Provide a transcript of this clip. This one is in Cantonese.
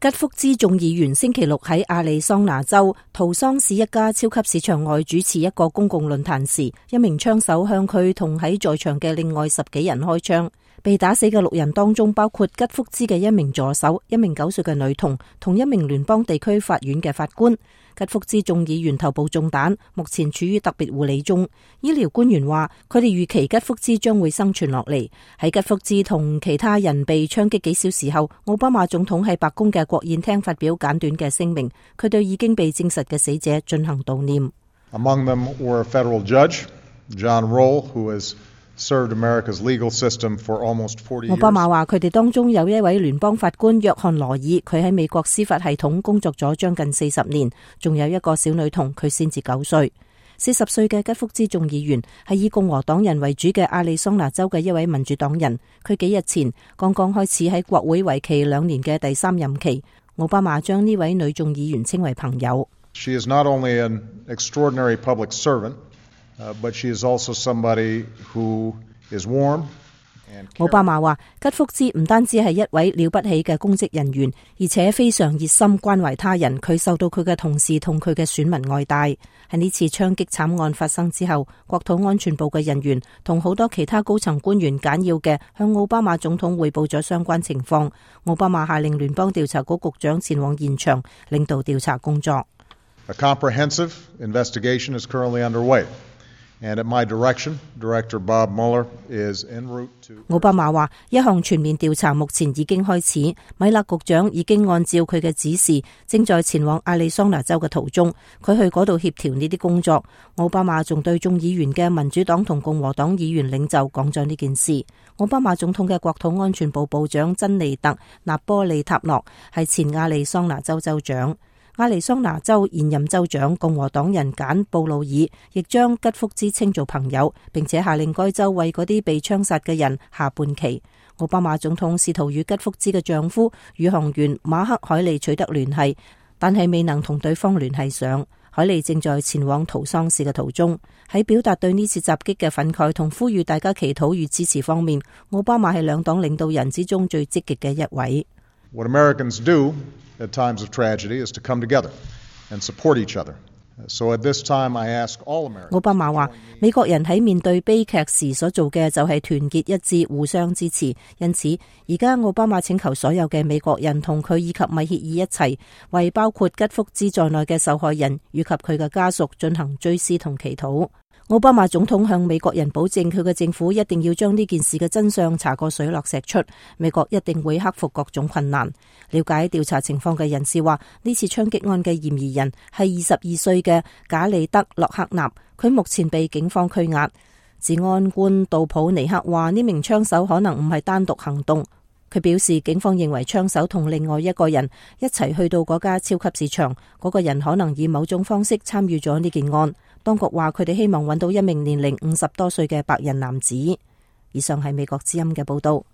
吉福茲眾議員星期六喺亞利桑那州圖桑市一家超級市場外主持一個公共論壇時，一名槍手向佢同喺在場嘅另外10幾人開槍。被打死嘅6人當中包括吉福茲嘅一名助手、一名9歲嘅女童同一名聯邦地區法院嘅法官。吉福茲眾議員頭部中彈，目前處於特別護理中。醫療官員話，佢哋預期吉福茲將會生存落嚟。喺吉福茲同其他人被槍擊幾小時後，奧巴馬總統喺白宮嘅國宴廳發表簡短嘅聲明，佢對已經被證實嘅死者進行悼念。Among them were a federal judge, John Roll, who has served America's legal system for almost 40 years. 奧巴馬話佢哋當中有一位聯邦法官約翰羅爾，佢喺美國司法系統工作咗將近40年，仲有一個小女童，佢先至9歲。40歲嘅吉福茲眾議員係以共和黨人為主嘅亞利桑那州嘅一位民主黨人，佢幾日前剛剛開始喺國會為期2年嘅第3任期。奧巴馬將呢位女眾議員稱為朋友。She is not only an extraordinary public servant,but she is also somebody who is warm. 奧巴馬話，吉福茲唔單止係一位了不起嘅公職人員，而且非常熱心關懷他人。佢受到佢嘅同事同佢嘅選民愛戴。喺呢次槍擊慘案發生之後，國土安全部嘅人員同好多其他高層官員簡要嘅向奧巴馬總統匯報咗相關情況。奧巴馬下令聯邦調查局局長前往現場領導調查工作。A comprehensive investigation is currently underway.And at my direction, Director Bob Mueller is en route to. 奧巴馬話，一項全面調查目前已經開始，米勒局長已經按照佢嘅指示，正在前往亞利桑那州嘅途中。佢去嗰度協調呢啲工作。奧巴馬仲對眾議員嘅民主黨同共和黨議員領袖講咗呢件事。奧巴馬總統嘅國土安全部部長珍妮特·納波利塔諾係前亞利桑那州州長。亞利桑那州現任州長共和黨人簡布魯爾亦將吉福茲稱做朋友，並且下令該州為嗰啲被槍殺嘅人下半旗。奧巴馬總統試圖與吉福茲嘅丈夫宇航員馬克海利取得聯繫，但係未能同對方聯繫上。海利正在前往圖桑市嘅途中。喺表達對呢次襲擊嘅憤慨同呼籲大家祈禱與支持方面，奧巴馬係兩黨領導人之中最積極嘅一位。What Americans do at times of tragedy is to come together and support each other. So at this time I ask all Americans. 奧巴馬話，美國人喺面對悲劇時所做嘅就係團結一致，互相支持。因此，而家奧巴馬請求所有嘅美國人同佢以及米歇爾一齊，為包括吉福茲在內嘅受害人以及佢嘅家屬進行追思同祈禱。奧巴馬總統向美國人保證，佢嘅政府一定要將呢件事嘅真相查個水落石出，美國一定會克服各種困難。了解調查情況嘅人士話，呢次槍擊案嘅嫌疑人係22歲嘅賈里德·洛克納，佢目前被警方拘押。治安官杜普尼克話，呢名槍手可能唔係單獨行動。佢表示，警方認為槍手同另外一個人一齊去到嗰家超級市場，嗰個人可能以某種方式參與咗呢件案。當局話佢哋希望揾到一名年齡50多歲嘅白人男子。以上係美國之音嘅報道。